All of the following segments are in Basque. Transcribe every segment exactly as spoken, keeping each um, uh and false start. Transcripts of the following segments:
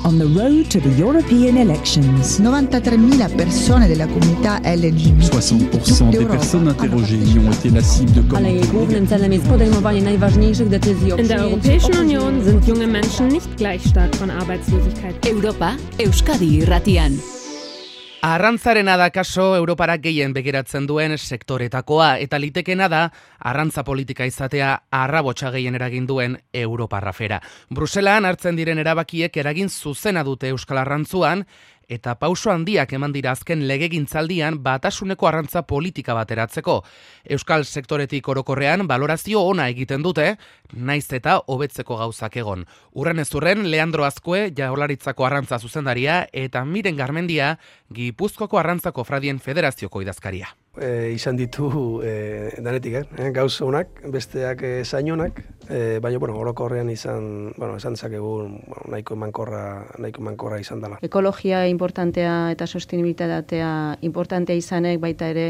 on the road to the European elections. novantatré mila persone della comunità L G B T. soixante pour cent des personnes interrogées y ont été la cible de In der Europäischen Union sind junge Menschen nicht gleich stark von Arbeitslosigkeit. Europa, Euskadi irratian. Arrantzarena da kaso Europara gehien begiratzen duen sektoretakoa, eta litekena da arrantza politika izatea arrabotsa gehien eragin duen Europarra fera. Bruselan hartzen diren erabakiek eragin zuzena dute Euskal Arrantzuan, eta pauso handiak eman dira azken legegintzaldian batasuneko arrantza politika bateratzeko. Euskal sektoretik orokorrean balorazio ona egiten dute, naiz eta hobetzeko gauzak egon. Urren ez urren, Leandro Azkue, Jaurlaritzako arrantza zuzendaria, eta Miren Garmendia, Gipuzkoako arrantzako Fradien Federazioko idazkaria. E, izan ditu e, danetik, eh? gauz honak, besteak e, zainonak, e, baina bueno, orokorrean izan, bueno, esan dezakegu bueno, nahiko emankorra, nahiko emankorra izan dela. Ekologia importantea eta sostenibilitatea importantea izanek baita ere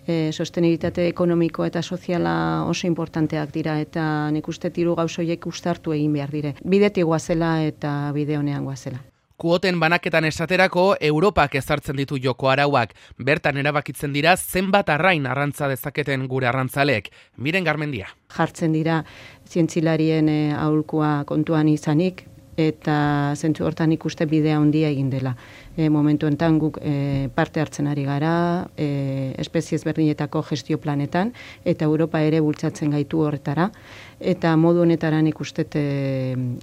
e, sostenibilitate ekonomiko eta soziala oso importanteak dira eta nik uste hiru gauz horiek uztartu egin behar dire. Bidetik goazela eta bide honean goazela. Kuoten banaketan esaterako, Europak ezartzen ditu joko arauak. Bertan erabakitzen dira zenbat arrain arrantza dezaketen gure arrantzaleek. Miren Garmendia. Jartzen dira zientzilarien e, aholkua kontuan izanik, eta zentzu hortan ikuste bidea handia egin dela. E, momentu enten guk e, parte hartzen ari gara, e, espezie ezberdinetako gestio planetan, eta Europa ere bultzatzen gaitu horretara, eta modu honetaran ikustet e,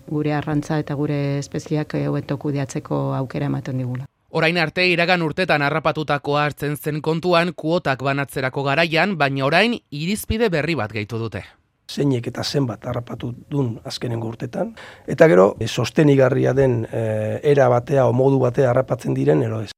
gure arrantza eta gure espezieak hobeto kudeatzeko aukera ematen digula. Orain arte iragan urtetan harrapatutakoa hartzen zen kontuan kuotak banatzerako garaian, baina orain irizpide berri bat gehitu dute. Zeinek eta zenbat harrapatu dun azkenengo urtetan, eta gero e, sostenigarria den e, era batea o modu batea harrapatzen diren ero ez.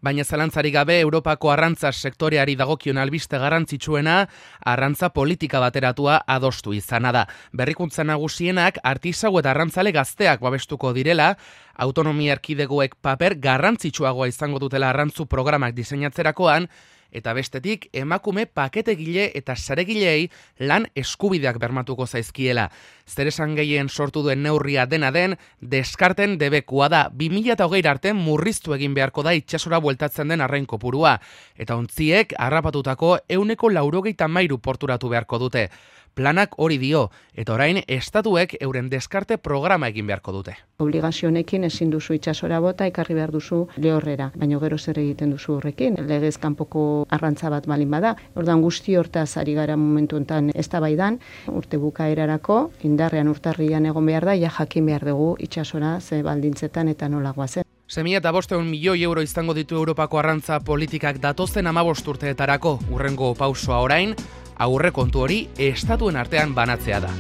Baina zalantzarik gabe Europako arrantza sektoreari dagokion albiste garrantzitsuena arrantza politika bateratua adostu izana da. Berrikuntza nagusienak artisau eta arrantzale gazteak babestuko direla, autonomia erkidegoek paper garrantzitsuagoa izango dutela arrantzu programak diseinatzerakoan, eta bestetik emakume paketegile eta saregilei lan eskubideak bermatuko zaizkiela. Zeresan gehien sortu duen neurria dena den, deskarten debekua da. bi mila hogei arte murriztu egin beharko da itsasora bueltatzen den arrain kopurua. Eta ontziek harrapatutako ehuneko laurogeita hamairu porturatu beharko dute. Planak hori dio, eta orain estatuek euren deskarte programa egin beharko dute. Obligazio honekin ezin duzu itsasora bota, ekarri behar duzu lehorrera, baina gero zer egiten duzu horrekin, legez kanpoko arrantza bat balin bada. Ordan guzti hortaz ari gara momentu honetan eztabaidan, urte bukaerarako, indarrean urtarrian egon behar da, ja jakin behar dugu itsasora ze baldintzetan eta nola goazen. Semia eta bosteun milioi euro izango ditu Europako arrantza politikak datozen hamabost urteetarako. Urrengo pausoa orain, aurrekontu hori estatuen artean banatzea da.